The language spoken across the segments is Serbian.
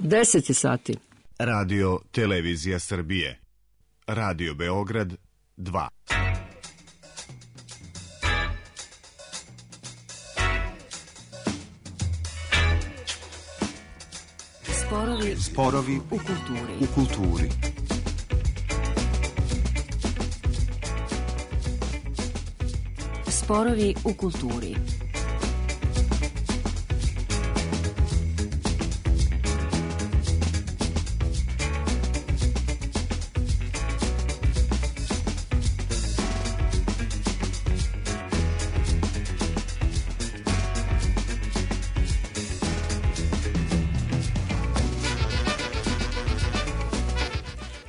10 sati. Radio Televizija Srbije. Radio Beograd 2. Sporovi u kulturi. Sporovi u kulturi.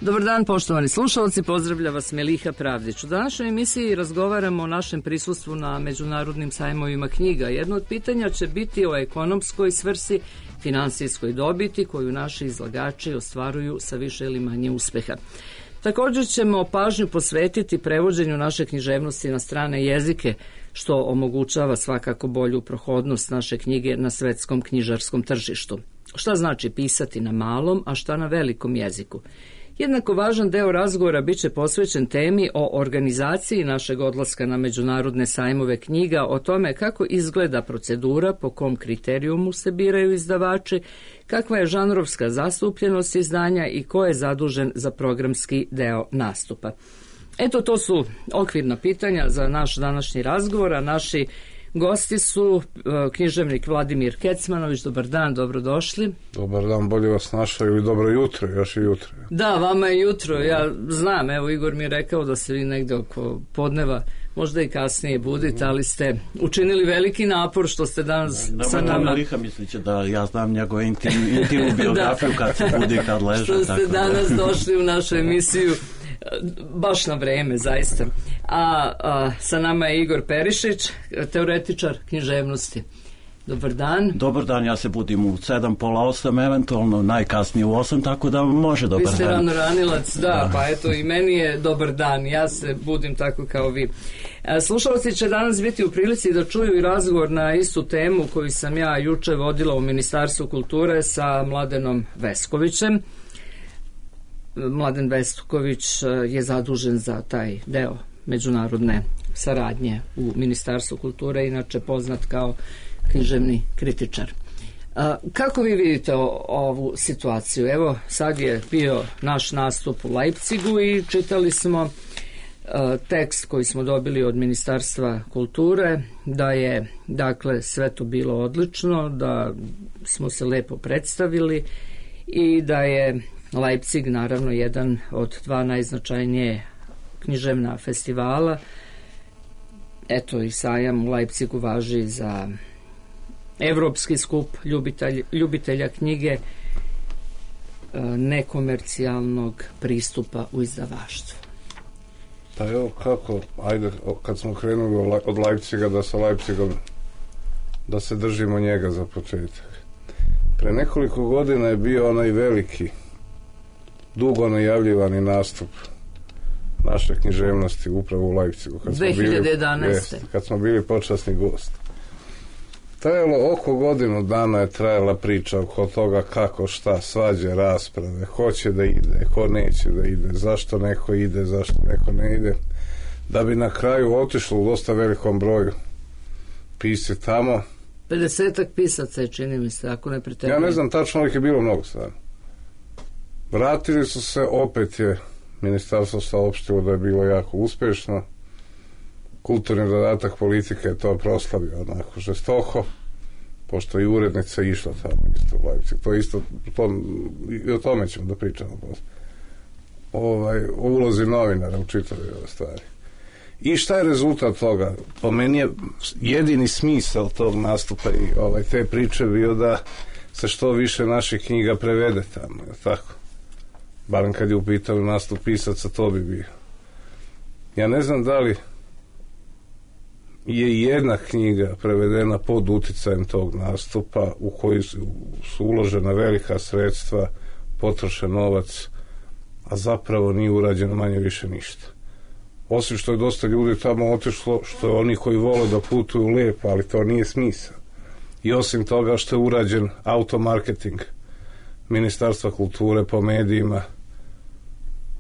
Dobar dan, poštovani slušalci, pozdravlja vas Meliha Pravdić. U današnjoj emisiji razgovaramo o našem prisustvu na međunarodnim sajmovima knjiga. Jedno od pitanja će biti o ekonomskoj svrsi, finansijskoj dobiti koju naši izlagači ostvaruju sa više ili manje uspeha. Također ćemo pažnju posvetiti prevođenju naše književnosti na strane jezike, što omogućava svakako bolju prohodnost naše knjige na svetskom knjižarskom tržištu. Šta znači pisati na malom, a šta na velikom jeziku? Jednako važan deo razgovora biće posvećen temi o organizaciji našeg odlaska na međunarodne sajmove knjiga, o tome kako izgleda procedura, po kom kriterijumu se biraju izdavači, kakva je žanrovska zastupljenost izdanja i ko je zadužen za programski deo nastupa. Eto, to su okvirna pitanja za naš današnji razgovor, a naši gosti su književnik Vladimir Kecmanović. Dobar dan, dobrodošli. Dobar dan, bolje vas našao, ili dobro jutro, još i jutro. Da, vama je jutro, ja znam, evo Igor mi je rekao da se vi negde oko podneva, možda i kasnije budite, ali ste učinili veliki napor što ste danas sa nama. Liha misliće da ja znam njegove intimnu biografiju kad se budi, kad leže. Što ste danas došli u našu emisiju baš na vreme, zaista. A sa nama je Igor Perišić, teoretičar književnosti. Dobar dan. Dobar dan, ja se budim u 7, pola 8, eventualno najkasnije u 8, tako da može dobar dan. Vi ste rano ranilac, da, pa eto i meni je dobar dan, ja se budim tako kao vi. Slušalci će danas biti u prilici da čuju i razgovor na istu temu koju sam ja juče vodila u Ministarstvu kulture sa Mladenom Veskovićem. Mladen Vesković je zadužen za taj deo međunarodne saradnje u Ministarstvu kulture, inače poznat kao književni kritičar. Kako vi vidite ovu situaciju? Evo, sad je bio naš nastup u Leipzigu i čitali smo tekst koji smo dobili od Ministarstva kulture, da je, dakle, sve to bilo odlično, da smo se lepo predstavili i da je Leipzig naravno jedan od dva najznačajnije književna festivala. Eto, i sajam u Leipzigu važi za evropski skup ljubitelja knjige, nekomercijalnog pristupa u izdavaštvu. Pa evo kako, ajde, kad smo krenuli od Leipziga, da sa Leipzigom, da se držimo njega za početak. Pre nekoliko godina je bio onaj veliki, dugo najavljivani nastup naše književnosti upravo u Leipzigu. 2011. Kad smo bili počasni gost. Trajalo oko godinu dana je trajala priča oko toga kako, šta, svađe, rasprave, ko će da ide, ko neće da ide, zašto neko ide, zašto neko ne ide, da bi na kraju otišlo u dosta velikom broju pisci tamo. 50-ak pisaca je, čini mi se, ako ne preterujem. Ja ne znam tačno, ali je bilo mnogo stvarno. Vratili su se, opet je ministarstvo saopštilo da je bilo jako uspješno. Kulturni dodatak politike je to proslavio onako žestoko, pošto i urednica išla tamo isto u Leipzig. To isto, i o tome ćemo da pričamo o ulozi novinara u čitavoj ove stvari. I šta je rezultat toga? Po meni je jedini smisao tog nastupa i te priče bio da se što više naših knjiga prevede tamo, tako? Barem kad je u pitanju nastup pisaca, to bi bio. Ja ne znam da li je jedna knjiga prevedena pod uticajem tog nastupa u koji su uložena velika sredstva, potrošen novac, a zapravo nije urađeno manje više ništa. Osim što je dosta ljudi tamo otišlo, što je oni koji vole da putuju lijepo, ali to nije smisao. I osim toga što je urađen automarketing Ministarstva kulture po medijima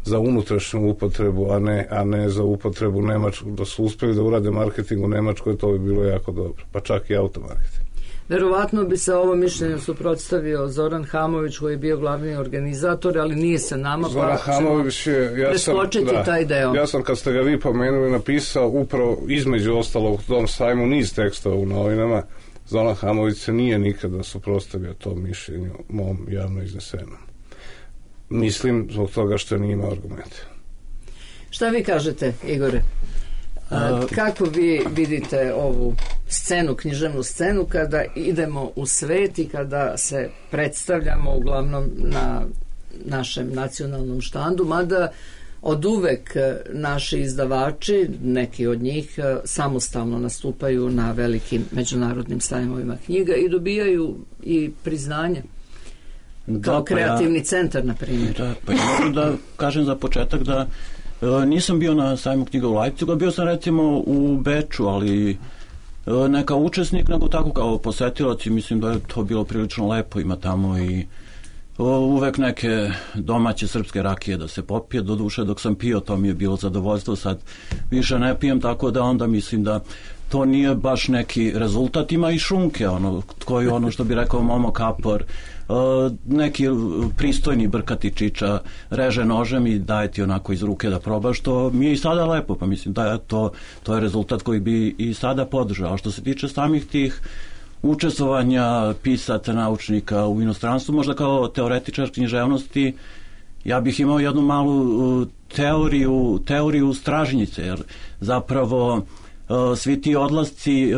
za unutrašnju upotrebu, a ne za upotrebu Nemačku. Da su uspjeli da urade marketing u Nemačkoj, to bi bilo jako dobro, pa čak i automarketing. Verovatno bi se ovo mišljenje suprotstavio Zoran Hamović, koji je bio glavni organizator, ali nije sa nama. Zoran Hamović je, taj deo. Ja sam, kad ste ga vi pomenuli, napisao upravo između ostalog u tom sajmu niz tekstova u novinama. Zoran Hamović se nije nikada suprotstavio tom mišljenju mom javno iznesenom. Mislim zbog toga što nije imao argumente. Šta vi kažete, Igore? Kako vi vidite ovu scenu, književnu scenu, kada idemo u svet i kada se predstavljamo uglavnom na našem nacionalnom štandu, mada od uvek naši izdavači, neki od njih, samostalno nastupaju na velikim međunarodnim sajmovima knjiga i dobijaju i priznanje kao kreativni centar, na primjer. Da, pa ja moram da kažem za početak da nisam bio na sajmu knjiga u Leipzigu, bio sam recimo u Beču, ali ne kao učesnik, nego tako kao posetilac, i mislim da je to bilo prilično lepo. Ima tamo i uvek neke domaće srpske rakije da se popije, do duše dok sam pio to mi je bilo zadovoljstvo, sad više ne pijem, tako da onda mislim da to nije baš neki rezultat. Ima i šunke, koji što bi rekao Momo Kapor, neki pristojni brkati čiča reže nožem i daje ti onako iz ruke da probaš, što mi je i sada lepo, pa mislim da je to je rezultat koji bi i sada podržao. A što se tiče samih tih učestvovanja pisaca, naučnika u inostranstvu, možda kao teoretičar književnosti, ja bih imao jednu malu teoriju stražnjice, jer zapravo svi ti odlasci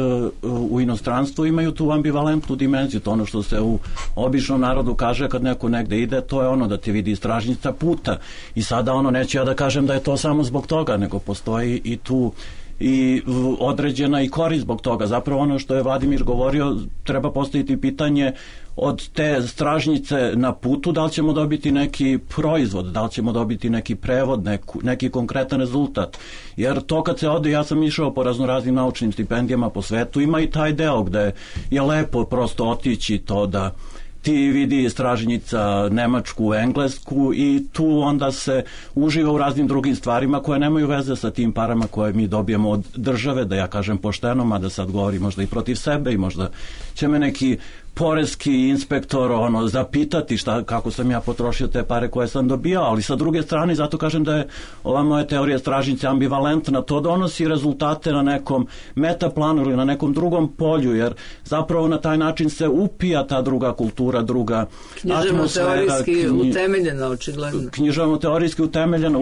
u inostranstvu imaju tu ambivalentnu dimenziju. To ono što se u običnom narodu kaže kad neko negde ide, to je da te vidi stražnjica puta. I sada neću ja da kažem da je to samo zbog toga, nego postoji i tu i određena i korist zbog toga. Zapravo što je Vladimir govorio, treba postaviti pitanje od te stražnjice na putu, da li ćemo dobiti neki proizvod, da li ćemo dobiti neki prevod, neki konkretan rezultat. Jer to kad se ode, ja sam išao po raznoraznim naučnim stipendijama po svetu, ima i taj deo gde je lepo prosto otići to da ti vidi stražnjica Nemačku, Englesku, i tu onda se uživa u raznim drugim stvarima koje nemaju veze sa tim parama koje mi dobijemo od države, da ja kažem pošteno, mada sad govori možda i protiv sebe i možda će me neki poreski inspektor zapitati kako sam ja potrošio te pare koje sam dobio, ali sa druge strane, zato kažem da je ova moja teorija stražnjice ambivalentna, to donosi rezultate na nekom metaplanu ili na nekom drugom polju, jer zapravo na taj način se upija ta druga kultura, druga atmosfera. Književno-teorijski utemeljena, očigledno. Književno-teorijski utemeljena,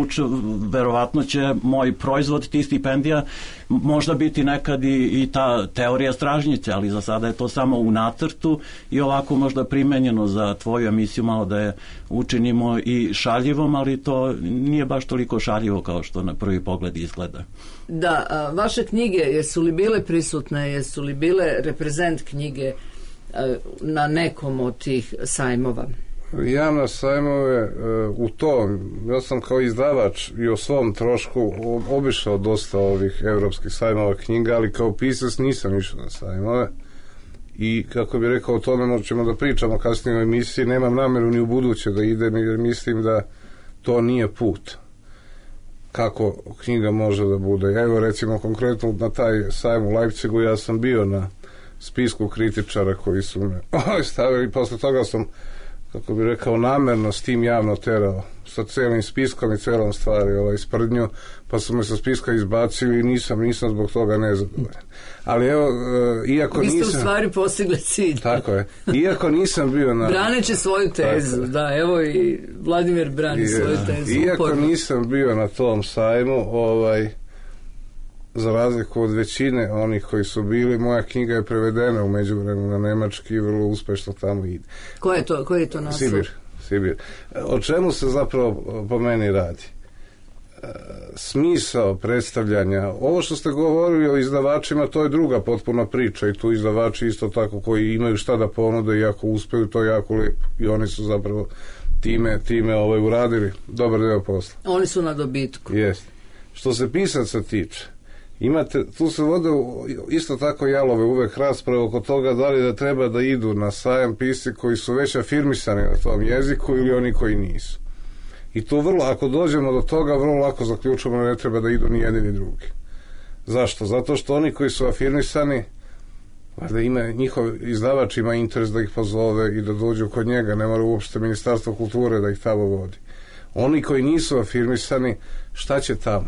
verovatno će moj proizvod tih stipendija možda biti nekad i ta teorija stražnjice, ali za sada je to samo u nacrtu i ovako možda primenjeno za tvoju emisiju, malo da je učinimo i šaljivom, ali to nije baš toliko šaljivo kao što na prvi pogled izgleda. Da, vaše knjige, jesu li bile prisutne, jesu li bile reprezent knjige na nekom od tih sajmova? Ja na sajmove ja sam kao izdavač i o svom trošku obišao dosta ovih evropskih sajmova knjiga, ali kao pisac nisam išao na sajmove. I kako bi rekao, o tome ćemo da pričamo kasnije u emisiji, nemam nameru ni u buduće da idem, jer mislim da to nije put kako knjiga može da bude. Evo recimo konkretno na taj sajm u Leipzigu ja sam bio na spisku kritičara koji su me stavili, posle toga sam, kako bi rekao, namerno s tim javno terao, sa celim spiskom i celom stvari sprdnju, pa su me sa spiska izbacili i nisam zbog toga nezadovoljan. Ali evo, iako nisam... Vi ste u stvari postigli cilj. Tako je. Iako nisam bio na... Braneći svoju tezu, da, evo i Vladimir brani svoju tezu. Iako nisam bio na tom sajmu, za razliku od većine onih koji su bili, moja knjiga je prevedena u međuvremenu na nemački i vrlo uspešno tamo ide. Koji je to naslov? Sibir. O čemu se zapravo po meni radi? Smisao predstavljanja, ovo što ste govorili o izdavačima, to je druga potpuna priča i tu izdavači isto tako koji imaju šta da ponude i ako uspeju, to je jako lijepo i oni su zapravo time uradili dobar deo posla. Oni su na dobitku. Jeste. Što se pisaca tiče, tu se vode isto tako jalove uvek rasprave oko toga da li da treba da idu na sajam pisci koji su već afirmisani na tom jeziku ili oni koji nisu. I tu ako dođemo do toga, vrlo lako zaključujemo da ne treba da idu ni jedni ni drugi. Zašto? Zato što oni koji su afirmisani, da njihov izdavač ima interes da ih pozove i da dođu kod njega, ne mora uopšte Ministarstvo kulture da ih tamo vodi. Oni koji nisu afirmisani, šta će tamo?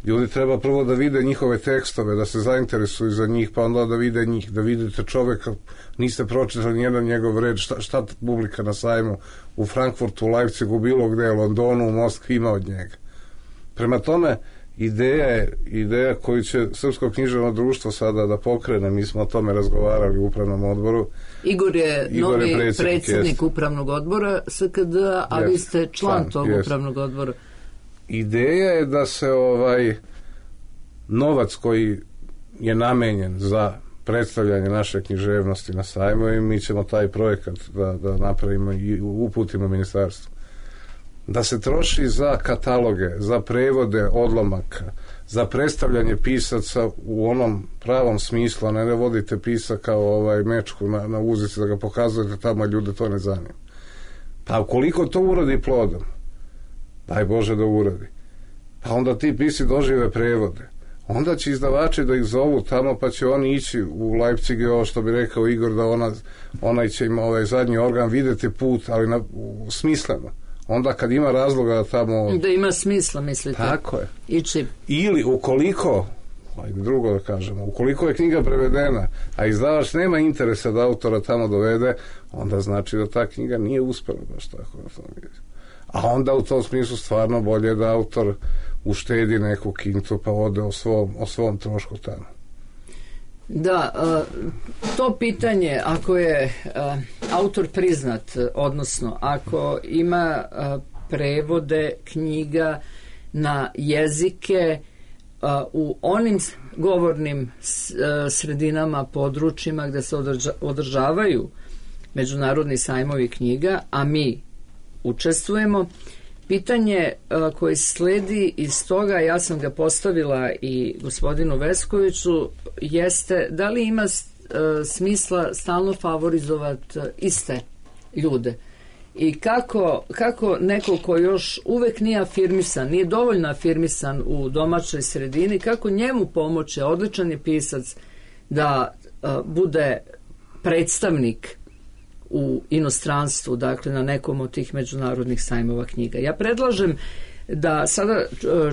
Ljudi treba prvo da vide njihove tekstove, da se zainteresuju za njih, pa onda da vide njih, da vidite čoveka, niste pročitali nijedan njegov red, šta publika na sajmu u Frankfurtu, u Leipzigu, bilo gde, u Londonu, u Moskvi ima od njega. Prema tome, ideja koju će Srpsko književno društvo sada da pokrene, mi smo o tome razgovarali u upravnom odboru. Igor je novi predsjednik upravnog odbora SKD, a vi ste član tog upravnog odbora. Ideja je da se novac koji je namenjen za predstavljanje naše književnosti na sajmu, i mi ćemo taj projekat da napravimo i uputimo ministarstvu, da se troši za kataloge, za prevode odlomaka, za predstavljanje pisaca u onom pravom smislu, a ne da vodite pisa kao mečku na uzici da ga pokazujete tamo, ljude to ne zanima. Pa ukoliko to uradi plodom, daj Bože da uradi, pa onda ti pisci dožive prevode, onda će izdavači da ih zovu tamo, pa će oni ići u Leipzig, i ovo što bi rekao Igor, da onaj će im zadnji organ videti put, ali smisleno. Onda kad ima razloga da tamo... Da ima smisla, mislite? Tako je. Ići. Ili ukoliko, drugo da kažemo, ukoliko je knjiga prevedena, a izdavač nema interesa da autora tamo dovede, onda znači da ta knjiga nije uspela baš tako na tom jeziku. A onda u tom smislu stvarno bolje da autor uštedi neku kintu pa ode o svom trošku tamo. Da, to pitanje, ako je autor priznat, odnosno ako ima prevode knjiga na jezike u onim govornim sredinama, područjima gde se održavaju međunarodni sajmovi knjiga, a mi učestvujemo, pitanje koje sledi iz toga, ja sam ga postavila i gospodinu Veskoviću, jeste da li ima smisla stalno favorizovati iste ljude i kako neko ko još uvek nije afirmisan, nije dovoljno afirmisan u domaćoj sredini, kako njemu pomoći, odličan je pisac, da bude predstavnik u inostranstvu, dakle na nekom od tih međunarodnih sajmova knjiga. Ja predlažem da sada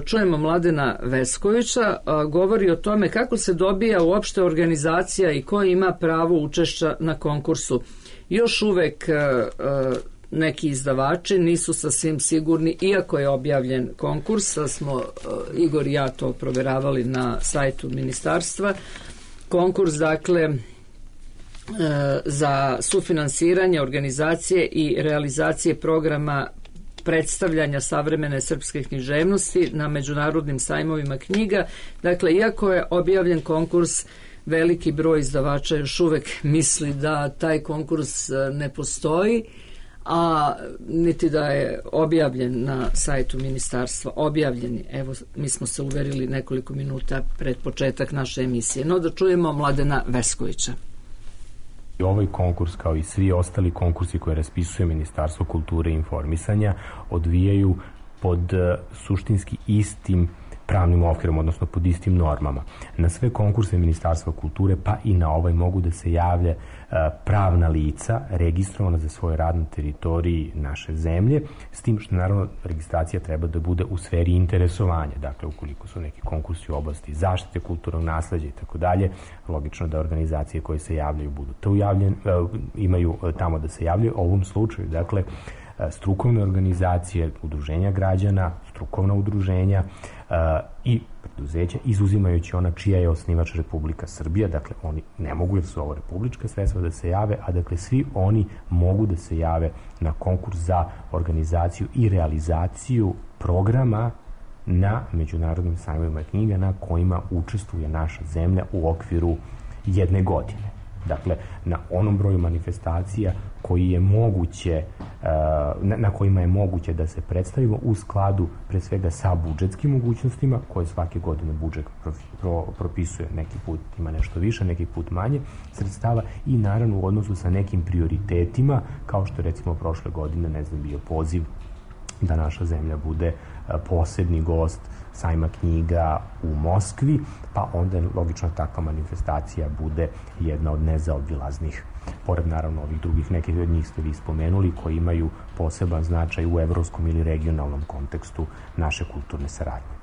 čujemo Mladena Veskovića, govori o tome kako se dobija uopšte organizacija i ko ima pravo učešća na konkursu. Još uvek neki izdavači nisu sasvim sigurni, iako je objavljen konkurs, smo Igor i ja to proveravali na sajtu ministarstva. Konkurs, dakle, za sufinansiranje organizacije i realizacije programa predstavljanja savremene srpske književnosti na međunarodnim sajmovima knjiga. Dakle, iako je objavljen konkurs, veliki broj izdavača još uvek misli da taj konkurs ne postoji, a niti da je objavljen na sajtu ministarstva. Objavljeni, evo, mi smo se uverili nekoliko minuta pred početak naše emisije. No, da čujemo Mladena Veskovića. Ovaj konkurs, kao i svi ostali konkursi koje raspisuje Ministarstvo kulture i informisanja, odvijaju pod suštinski istim pravnim okvirom, odnosno pod istim normama. Na sve konkurse Ministarstva kulture, pa i na ovaj, mogu da se javlja pravna lica registrovana za svoj rad na teritoriji naše zemlje, s tim što naravno registracija treba da bude u sferi interesovanja. Dakle, ukoliko su neki konkursi u oblasti zaštite kulturnog nasleđa i tako dalje, logično da organizacije koje se javljaju budu imaju tamo da se javljaju. U ovom slučaju, dakle, strukovne organizacije, udruženja građana, strukovna udruženja i preduzeća, izuzimajući ona čija je osnivač Republika Srbija, dakle oni ne mogu, jer su ovo republička sredstva, da se jave, a dakle svi oni mogu da se jave na konkurs za organizaciju i realizaciju programa na međunarodnim sajmovima knjiga na kojima učestvuje naša zemlja u okviru jedne godine. Dakle, na onom broju manifestacija koji je moguće, na kojima je moguće da se predstavimo u skladu pre svega sa budžetskim mogućnostima koje svake godine budžet propisuje, neki put ima nešto više, neki put manje sredstava i naravno u odnosu sa nekim prioritetima, kao što recimo prošle godine, ne znam, bio poziv da naša zemlja bude posebni gost sajma knjiga u Moskvi, pa onda logično takva manifestacija bude jedna od nezaobilaznih. Pored naravno ovih drugih, nekih od njih ste vi spomenuli, koji imaju poseban značaj u evropskom ili regionalnom kontekstu naše kulturne saradnje.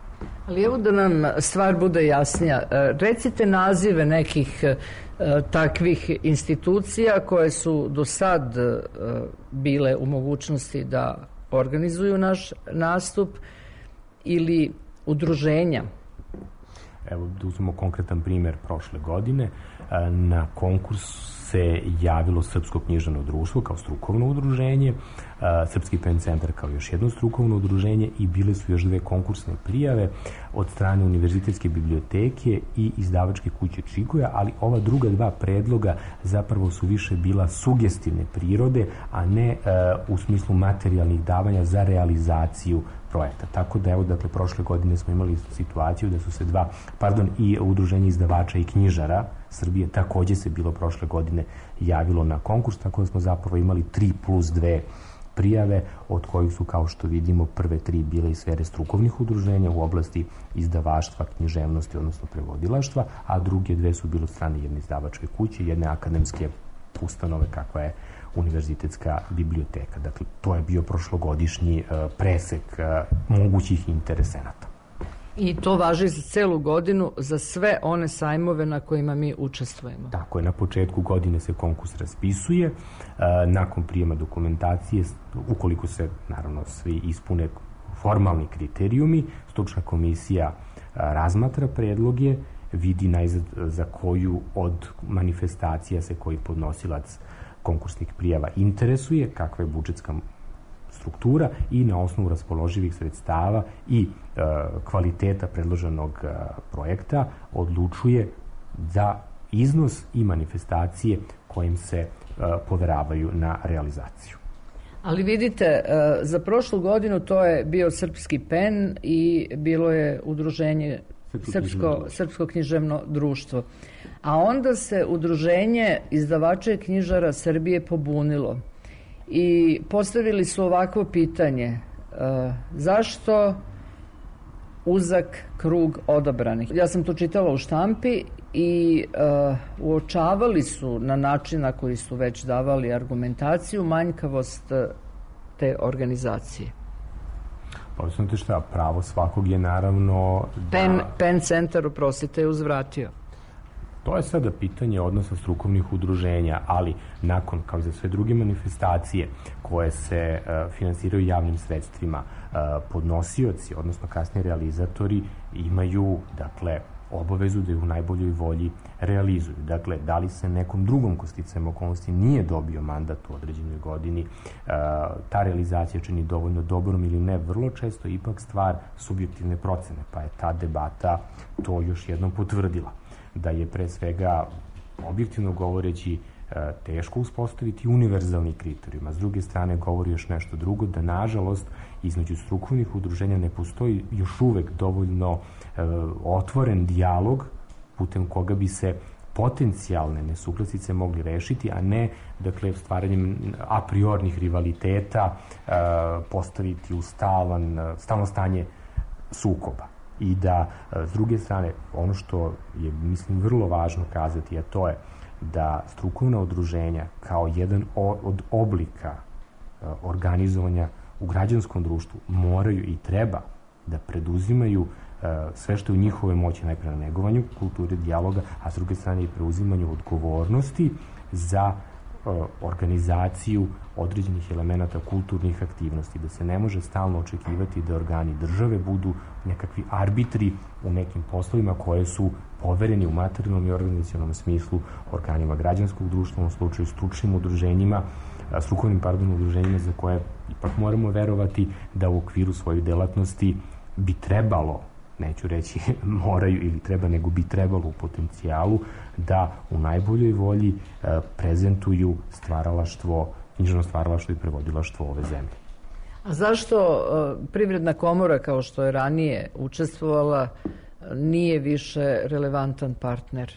Ali evo da nam stvar bude jasnija. Recite nazive nekih takvih institucija koje su do sad bile u mogućnosti da organizuju naš nastup ili udruženja. Evo da uzmemo konkretan primjer prošle godine. Na konkurs se javilo Srpsko književno društvo kao strukovno udruženje, Srpski pen centar kao još jedno strukovno udruženje i bile su još 2 konkursne prijave od strane Univerzitetske biblioteke i izdavačke kuće Čikoja, ali ova druga 2 predloga zapravo su više bila sugestivne prirode, a ne u smislu materijalnih davanja za realizaciju projekta. Tako da, evo, dakle, prošle godine smo imali situaciju da su se i udruženje izdavača i knjižara Srbije takođe se bilo prošle godine javilo na konkurs, tako da smo zapravo imali 3+2 prijave, od kojih su, kao što vidimo, prve 3 bile iz sfere strukovnih udruženja u oblasti izdavaštva, književnosti, odnosno prevodilaštva, a druge 2 su bile od strane jedne izdavačke kuće, jedne akademske ustanove kakva je Univerzitetska biblioteka. Dakle, to je bio prošlogodišnji presek mogućih interesenata. I to važi za celu godinu, za sve one sajmove na kojima mi učestvujemo. Tako je, na početku godine se konkurs raspisuje, nakon prijema dokumentacije, ukoliko se, naravno, svi ispune formalni kriterijumi, stručna komisija razmatra predloge, vidi najzad za koju od manifestacija se koji podnosilac konkursnih prijava interesuje, kakva je budžetska struktura i na osnovu raspoloživih sredstava i kvaliteta predloženog projekta odlučuje za iznos i manifestacije kojim se poveravaju na realizaciju. Ali vidite, za prošlu godinu to je bio Srpski pen i bilo je udruženje Srpsko književno društvo. A onda se udruženje izdavača i knjižara Srbije pobunilo i postavili su ovakvo pitanje: zašto uzak krug odabranih? Ja sam to čitala u štampi i uočavali su na način na koji su već davali argumentaciju manjkavost te organizacije. Pa znate šta, pravo svakog je naravno Pen centar, oprostite, je uzvratio. To je sada pitanje odnosa strukovnih udruženja, ali nakon, kao i za sve druge manifestacije koje se finansiraju javnim sredstvima, podnosioci, odnosno kasnije realizatori, imaju, dakle, obavezu da je u najboljoj volji realizuju. Dakle, da li se nekom drugom ko sticajem okolnosti nije dobio mandat u određenoj godini, ta realizacija čini dovoljno dobrom ili ne, vrlo često ipak stvar subjektivne procene, pa je ta debata to još jednom potvrdila. Da je pre svega, objektivno govoreći, teško uspostaviti univerzalni kriterijum, a s druge strane govori još nešto drugo, da nažalost između strukovnih udruženja ne postoji još uvek dovoljno otvoren dijalog putem koga bi se potencijalne nesuglasice mogli rešiti, a ne, dakle, stvaranjem a priornih rivaliteta postaviti u stalno stanje sukoba. I da, s druge strane, ono što je, mislim, vrlo važno kazati, a to je da strukovna udruženja kao jedan od oblika organizovanja u građanskom društvu moraju i treba da preduzimaju sve što je u njihovoj moći, najpre na negovanju kulture dijaloga, a s druge strane i preuzimanju odgovornosti za organizaciju određenih elemenata kulturnih aktivnosti, da se ne može stalno očekivati da organi države budu nekakvi arbitri u nekim poslovima koje su povereni u materijalnom i organizacionalnom smislu organima građanskog društva, u slučaju stručnim udruženjima, strukovnim udruženjima za koje ipak moramo verovati da u okviru svojih delatnosti bi trebalo neću reći moraju ili treba, nego bi trebalo u potencijalu da u najboljoj volji prezentuju stvaralaštvo, književno stvaralaštvo i prevodilaštvo ove zemlje. A zašto Privredna komora, kao što je ranije učestvovala, nije više relevantan partner?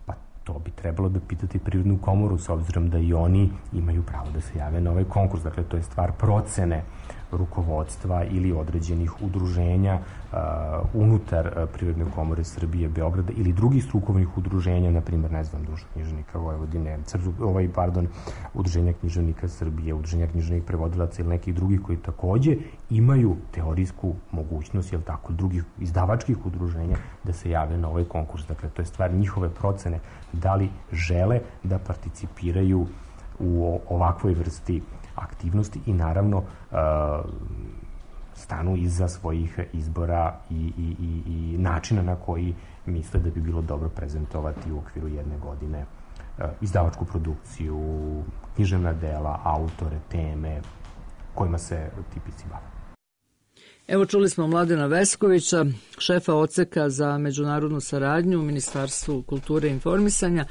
Pa to bi trebalo da pitati Privrednu komoru, s obzirom da i oni imaju pravo da se jave na ovaj konkurs. Dakle, to je stvar procene rukovodstva ili određenih udruženja unutar Privredne komore Srbije, Beograda ili drugih strukovnih udruženja, na primjer, ne znam, Društvo književnika Vojvodine, Udruženja književnika Srbije, Udruženja književnih prevodilaca ili nekih drugih koji takođe imaju teorijsku mogućnost, jel tako, drugih izdavačkih udruženja da se jave na ovaj konkurs. Dakle, to je stvar njihove procene da li žele da participiraju u ovakvoj vrsti aktivnosti i naravno stanu iza svojih izbora i načina na koji misle da bi bilo dobro prezentovati u okviru jedne godine izdavačku produkciju, književna dela, autore, teme kojima se ti pisci bave. Evo, čuli smo Mladena Veskovića, šefa odseka za međunarodnu saradnju u Ministarstvu kulture i informisanja.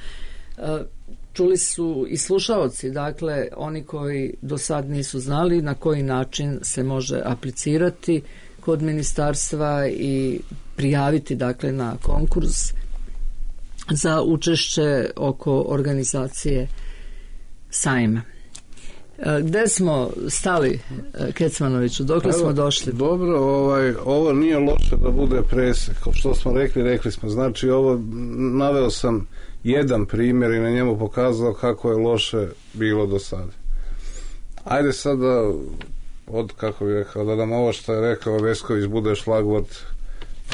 Čuli su i slušaoci, dakle, oni koji do sad nisu znali na koji način se može aplicirati kod ministarstva i prijaviti, dakle, na konkurs za učešće oko organizacije sajma. Gde smo stali, Kecmanoviću? Dokle smo došli? Dobro, ovo nije loše da bude presek. Kao što smo rekli smo. Znači, ovo naveo sam jedan primjer i na njemu pokazao kako je loše bilo do sada. Ajde sad da, kako bih rekao, da nam ovo što je rekao Vesković bude šlagvort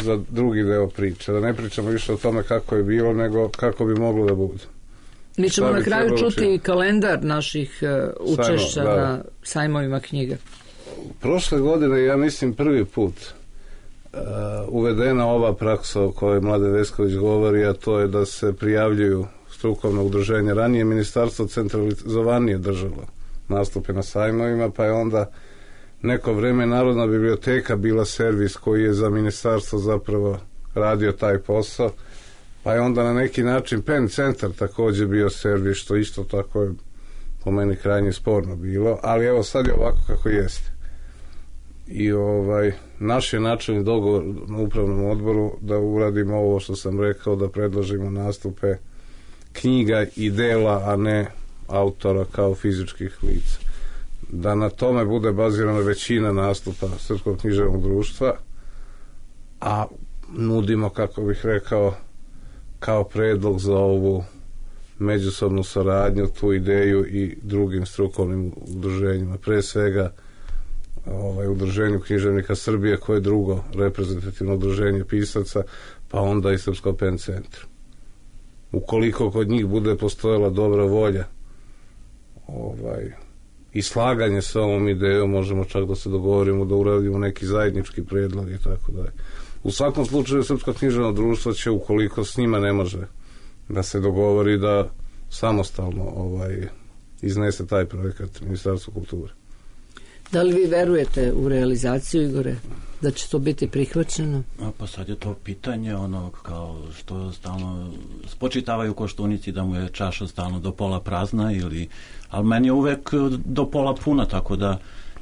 za drugi deo priče. Da ne pričamo više o tome kako je bilo, nego kako bi moglo da bude. Mi ćemo na kraju čuti kalendar naših učešća na sajmovima knjiga. Prošle godine, ja mislim, prvi put uvedena ova praksa o kojoj Mladen Vesković govori, a to je da se prijavljuju strukovna udruženja. Ranije ministarstvo centralizovanije držalo nastupe na sajmovima, pa je onda neko vreme Narodna biblioteka bila servis koji je za ministarstvo zapravo radio taj posao, pa je onda na neki način PEN centar također bio servis, što isto tako je po meni krajnje sporno bilo, ali evo sad je ovako kako jeste. I naš je načelni dogovor na upravnom odboru da uradimo ovo što sam rekao, da predložimo nastupe knjiga i dela, a ne autora kao fizičkih lica. Da na tome bude bazirana većina nastupa Srpskog književnog društva, a nudimo, kako bih rekao, kao predlog za ovu međusobnu saradnju, tu ideju i drugim strukovnim udruženjima. Pre svega udruženju književnika Srbije, koje je drugo reprezentativno udruženje pisaca, pa onda i Srpsko PEN centru. Ukoliko kod njih bude postojala dobra volja i slaganje sa ovom idejom, možemo čak da se dogovorimo da uradimo neki zajednički predlog i tako dalje. U svakom slučaju Srpsko književno društvo će, ukoliko s njima ne može da se dogovori, da samostalno iznese taj projekat Ministarstva kulture. Da li vi verujete u realizaciju, Igore, da će to biti prihvaćeno? Pa sad je to pitanje, kao što stalno spočitavaju Koštunici da mu je čaša stalno do pola prazna, ali meni je uvek do pola puna, tako da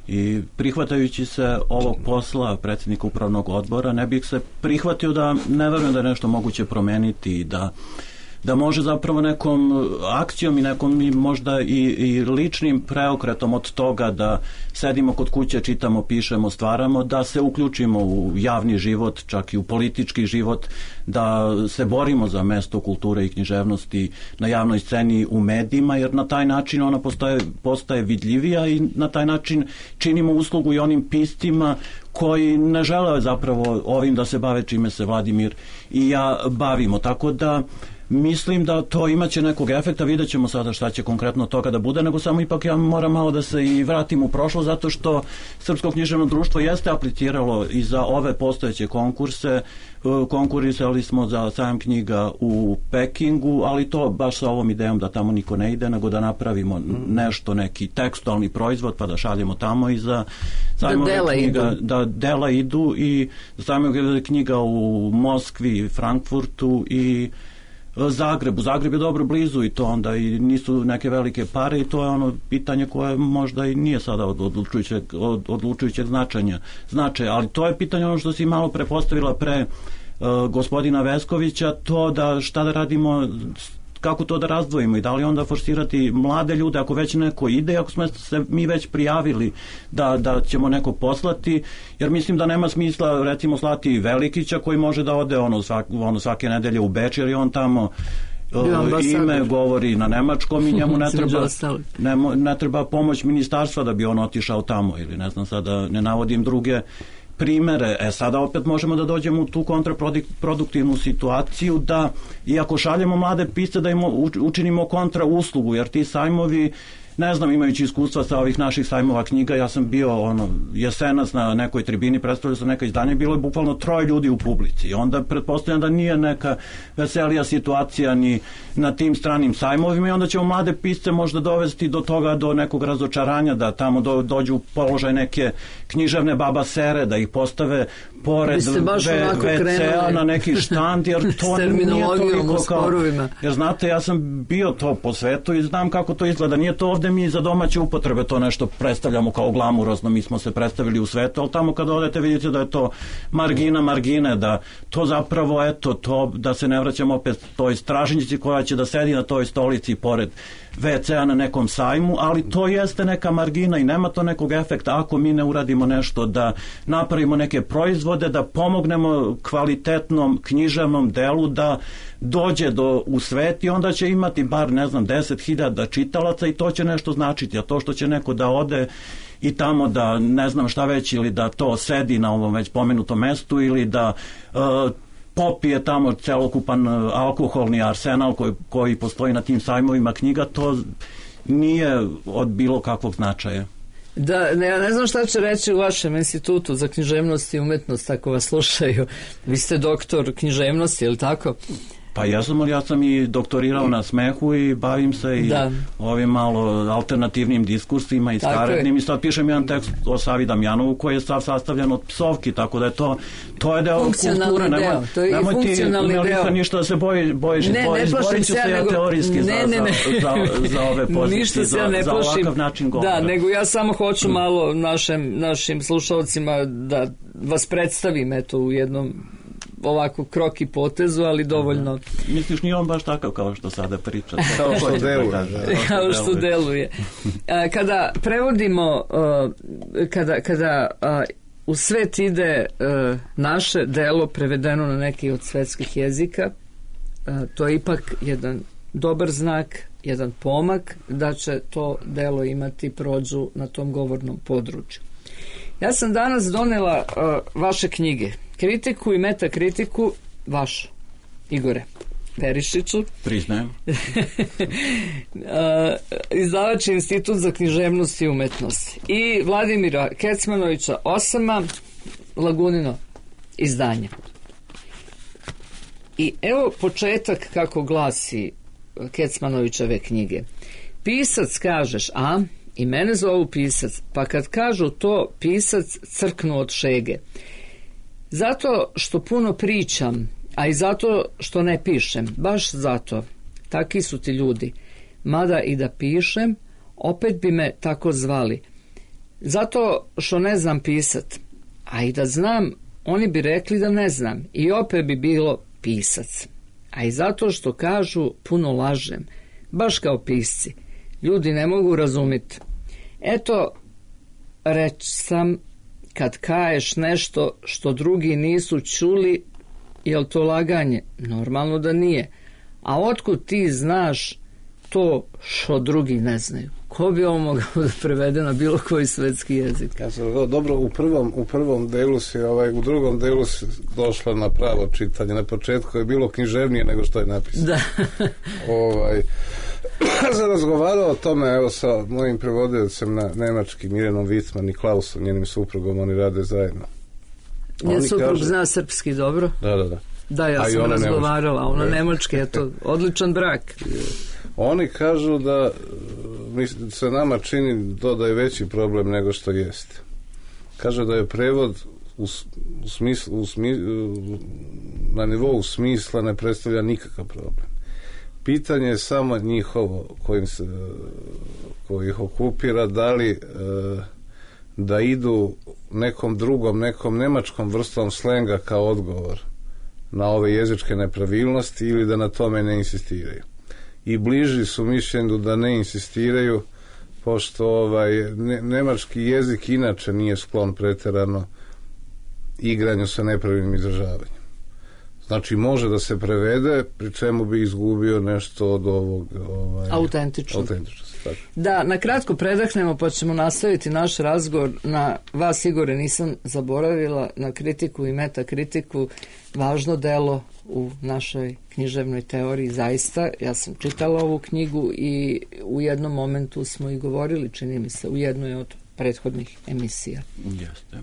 i prihvatajući se ovog posla predsjednika upravnog odbora, ne bih se prihvatio da ne verujem da je nešto moguće promeniti i da može zapravo nekom akcijom i nekom možda i ličnim preokretom od toga da sedimo kod kuće, čitamo, pišemo, stvaramo, da se uključimo u javni život, čak i u politički život, da se borimo za mesto kulture i književnosti na javnoj sceni, u medijima, jer na taj način ona postaje vidljivija i na taj način činimo uslugu i onim piscima koji ne žele zapravo ovim da se bave čime se Vladimir i ja bavimo. Tako da mislim da to imaće nekog efekta, vidjet ćemo sada šta će konkretno od toga da bude, nego samo ipak ja moram malo da se i vratim u prošlost, zato što Srpsko književno društvo jeste apliciralo i za ove postojeće konkurse. Konkurisali smo za sajam knjiga u Pekingu, ali to baš sa ovom idejom da tamo niko ne ide, nego da napravimo nešto, neki tekstualni proizvod, pa da šaljemo tamo i za sajmove knjiga, da dela idu i za sajmove knjiga u Moskvi, Frankfurtu i Zagrebu. Zagreb je dobro blizu i to onda i nisu neke velike pare i to je ono pitanje koje možda i nije sada od odlučujućeg značaja, ali to je pitanje ono što si malo prepostavila pre gospodina Veskovića, to da šta da radimo, kako to da razdvojimo i da li onda forsirati mlade ljude ako već neko ide, ako smo se mi već prijavili da ćemo nekog poslati, jer mislim da nema smisla recimo slati Velikića koji može da ode svake nedelje u Beč, jer je on tamo ime govori na nemačkom i njemu ne treba pomoć ministarstva da bi on otišao tamo ili ne znam sada ne navodim druge primere. Sada opet možemo da dođemo u tu kontraproduktivnu situaciju da, iako šaljemo mlade pisce, da im učinimo kontra uslugu, jer ti sajmovi, ne znam, imajući iskustva sa ovih naših sajmova knjiga, ja sam bio jesenas na nekoj tribini, predstavljao sam neka izdanja, bilo je bukvalno 3 ljudi u publici. Onda pretpostavljam da nije neka veselija situacija ni na tim stranim sajmovima i onda ćemo mlade pisce možda dovesti do toga, do nekog razočaranja, da tamo dođu u položaj neke književne babasere, da ih postave pored WC-a na neki štand, jer to nije toliko kao... Jer znate, ja sam bio to po svetu i znam kako to izgleda. Nije to ovde mi za domaće upotrebe to nešto predstavljamo kao glamurozno, mi smo se predstavili u svetu, ali tamo kada odete vidite da je to margine, da to zapravo, eto, to da se ne vraćamo opet toj stražnjici koja će da sedi na toj stolici pored WC-a na nekom sajmu, ali to jeste neka margina i nema to nekog efekta ako mi ne uradimo nešto, da napravimo neke proizvode, da pomognemo kvalitetnom književnom delu da dođe u svet i onda će imati bar, ne znam, 10.000 čitalaca i to će nešto značiti, a to što će neko da ode i tamo da ne znam šta već ili da to sedi na ovom već pomenutom mestu ili da popije tamo celokupan alkoholni arsenal koji postoji na tim sajmovima knjiga, to nije od bilo kakvog značaja. Da, ja ne znam šta će reći u vašem institutu za književnost i umetnost ako vas slušaju. Vi ste doktor književnosti, je li tako? Pa ja sam i doktorirao na smehu i bavim se i ovim malo alternativnim diskursima i skarednim i sad pišem jedan tekst o Savi Damjanovu koji je sastavljen od psovki, tako da je to je deo kulture. Nemoj ti Melika ništa da se bojiš, izborit ću se ja teorijski za ove pozicije, za ovakav način govora. Da, nego ja samo hoću malo našim slušalcima da vas predstavim eto u jednom ovako kroki potezu, ali dovoljno. Misliš, nije on baš takav kao što sada priča? Kao što deluje. Kada prevodimo, kada u svet ide naše delo prevedeno na neki od svetskih jezika, to je ipak jedan dobar znak, jedan pomak da će to delo imati prođu na tom govornom području. Ja sam danas donela vaše knjige, kritiku i metakritiku, vašu, Igore Perišiću. Priznajem. Izdavač Institut za književnost i umetnost. I Vladimira Kecmanovića Osama, Lagunino izdanje. I evo početak kako glasi Kecmanovićeve knjige. Pisac kažeš, a? I mene zovu pisac, pa kad kažu to pisac crknu od šege. Zato što puno pričam, a i zato što ne pišem, baš zato. Taki su ti ljudi. Mada i da pišem, opet bi me tako zvali. Zato što ne znam pisat, a i da znam, oni bi rekli da ne znam i opet bi bilo pisac. A i zato što kažu puno lažem, baš kao pisci. Ljudi ne mogu razumjeti. Eto, reč sam, kad kaješ nešto što drugi nisu čuli, jel to laganje? Normalno da nije. A otkud ti znaš to što drugi ne znaju. Ko bi ovo mogao da prevede na bilo koji svetski jezik? Ja sam dobro, u prvom delu si, u drugom delu si došla na pravo čitanje. Na početku je bilo književnije nego što je napisano. Da. Sam razgovarao o tome, evo, sa mojim prevodiocem na nemački, Mirenom Wittmann i Klausom, njenim suprugom, oni rade zajedno. Njen suprug zna srpski dobro? Da. Da, ja sam razgovarala, a ona nemački, eto, odličan brak. Oni kažu da se nama čini to da je veći problem nego što jeste. Kaže da je prevod na nivou smisla ne predstavlja nikakav problem. Pitanje je samo njihovo koji ih okupira, da li da idu nekom drugom, nekom nemačkom vrstom slenga kao odgovor na ove jezičke nepravilnosti ili da na tome ne insistiraju. I bliži su mišljenju da ne insistiraju, pošto nemački jezik inače nije sklon pretjerano igranju sa nepravilnim izražavanjem. Znači može da se prevede, pri čemu bi izgubio nešto od ovog autentičnosti. Da, na kratko predahnemo pa ćemo nastaviti naš razgovor. Na vas, Igore, nisam zaboravila, na kritiku i metakritiku, važno delo u našoj književnoj teoriji, zaista. Ja sam čitala ovu knjigu i u jednom momentu smo i govorili, čini mi se, u jednoj od prethodnih emisija. Jeste.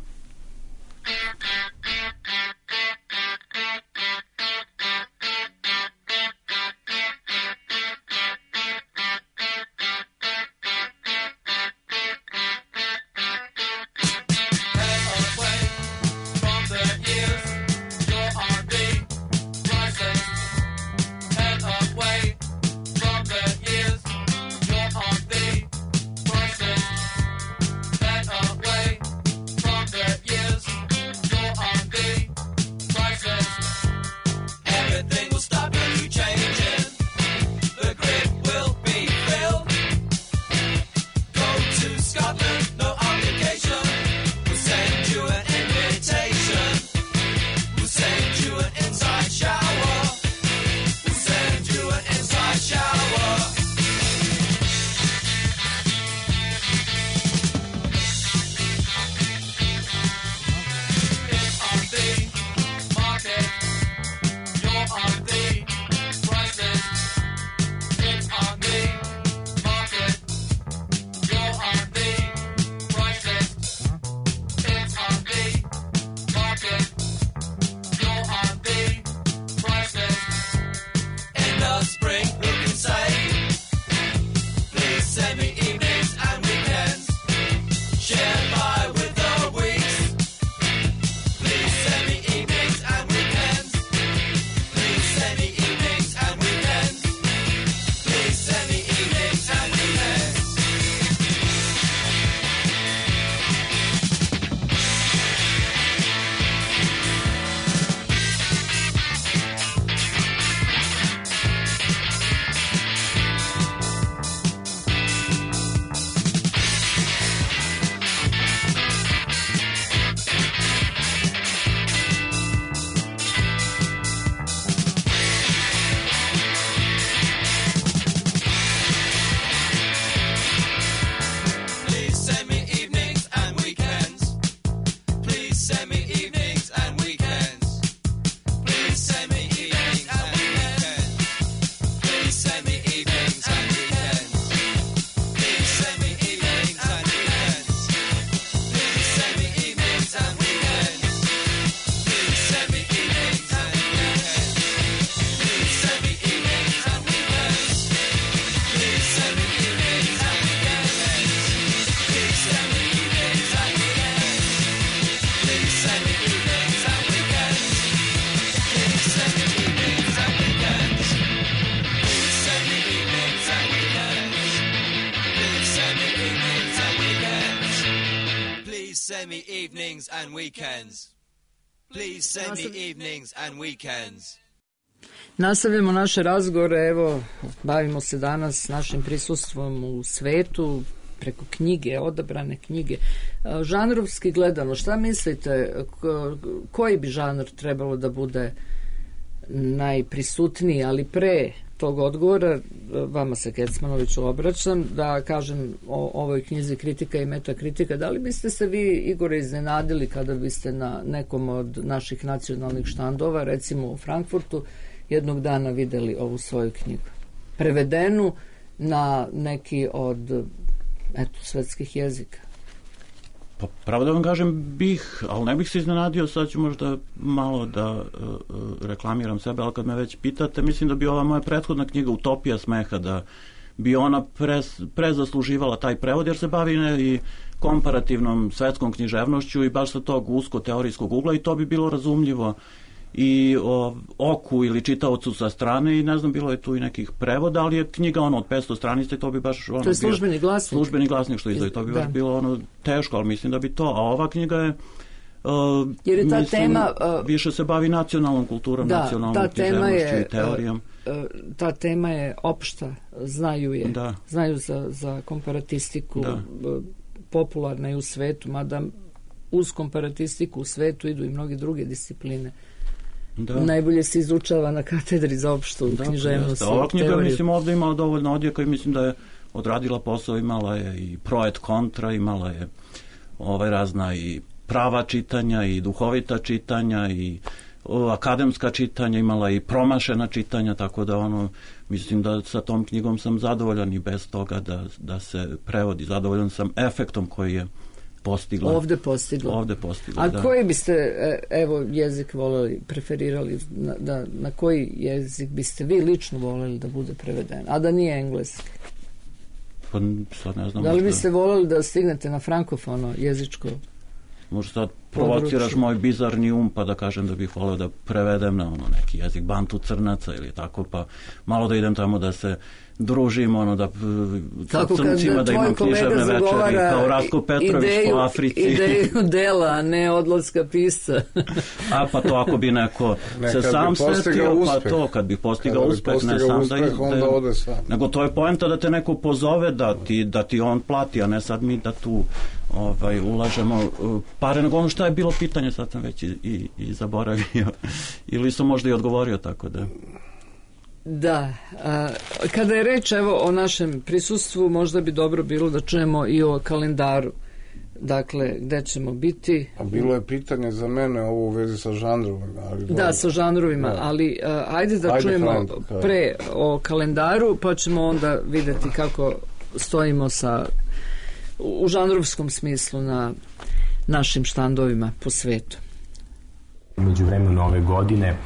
send me evenings and weekends. Please send me evenings and weekends. Nastavljamo naše razgovore, evo, bavimo se danas našim prisustvom u svetu, preko knjige, odabrane knjige. Žanrovski gledano, šta mislite, koji bi žanr trebalo da bude najprisutniji, ali pre tog odgovora, vama se Kecmanoviću obraćam, da kažem o ovoj knjizi Kritika i metakritika. Da li biste se vi, Igore, iznenadili kada biste na nekom od naših nacionalnih štandova, recimo u Frankfurtu, jednog dana videli ovu svoju knjigu? Prevedenu na neki od svetskih jezika. Pa pravo da vam kažem bih, ali ne bih se iznenadio, sad ću možda malo da reklamiram sebe, ali kad me već pitate, mislim da bi ova moja prethodna knjiga Utopija smeha, da bi ona prezasluživala taj prevod, jer se bavi i komparativnom svetskom književnošću i baš sa tog usko teorijskog ugla, i to bi bilo razumljivo i oku ili čitaocu sa strane, i ne znam, bilo je tu i nekih prevoda, ali je knjiga od 500 stranica i to bi baš to je službeni glasnik. Službeni glasnik što izdaje, to bi baš bilo teško, ali mislim da bi to, a ova knjiga je jer je ta tema više se bavi nacionalnom kulturom, nacionalnom književnošću i teorijom. Ta tema je opšta, znaju je, znaju za komparatistiku, popularna je u svetu, mada uz komparatistiku u svetu idu i mnoge druge discipline. Najbolje se izučava na katedri za opštu književnost. Ova knjiga, mislim, ovdje imala dovoljno odjeka i mislim da je odradila posao, imala je i pro et kontra, imala je razna i prava čitanja i duhovita čitanja i akademska čitanja, imala i promašena čitanja, tako da mislim da sa tom knjigom sam zadovoljan i bez toga da se prevodi. Zadovoljan sam efektom koji je ovde postigla. A koji biste jezik voleli, preferirali, na koji jezik biste vi lično voleli da bude preveden, a da nije engleski? Pa sad ne znam. Da li biste voleli da stignete na frankofono jezičko? Možda sad provociraš moj bizarni pa da kažem da bih voleo da prevedem na neki jezik Bantu Crnaca ili tako, pa malo da idem tamo da se družim, da sa crncima, da imam književne večeri kao Ratko Petrović po Africi. Ideju dela, a ne odlaska pisca. Pa to ako bi neko se sam setio, pa to kad bi postigao uspeh, ne sam da ide, nego to je poenta da te neko pozove, da ti on plati, a ne sad mi da tu ulažemo pare, nego šta je bilo pitanje, sad sam već i zaboravio, ili sam možda i odgovorio, tako da... Da, kada je reč o našem prisustvu, možda bi dobro bilo da čujemo i o kalendaru, dakle, gde ćemo biti. A bilo je pitanje za mene ovo u vezi sa žanrovima. Da, sa žanrovima, ali ajde da čujemo pre o kalendaru, pa ćemo onda videti kako stojimo u žanrovskom smislu na našim štandovima po svetu. Među vremenu ove godine,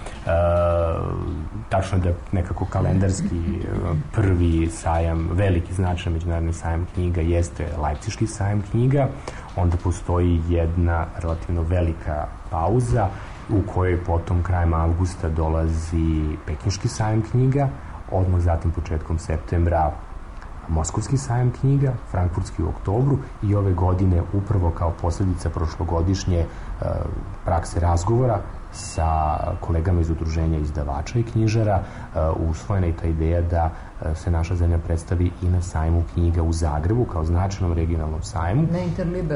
tačno da nekako kalendarski prvi sajam, veliki značaj međunarodni sajam knjiga jeste Lajpciški sajam knjiga, onda postoji jedna relativno velika pauza u kojoj potom krajem avgusta dolazi Pekinški sajam knjiga, odmah zatim početkom septembra Moskovski sajam knjiga, Frankfurtski u oktobru, i ove godine upravo kao posljedica prošlogodišnje prakse razgovora sa kolegama iz udruženja izdavača i knjižara usvojena i ta ideja da se naša zemlja predstavi i na sajmu knjiga u Zagrebu kao značajnom regionalnom sajmu.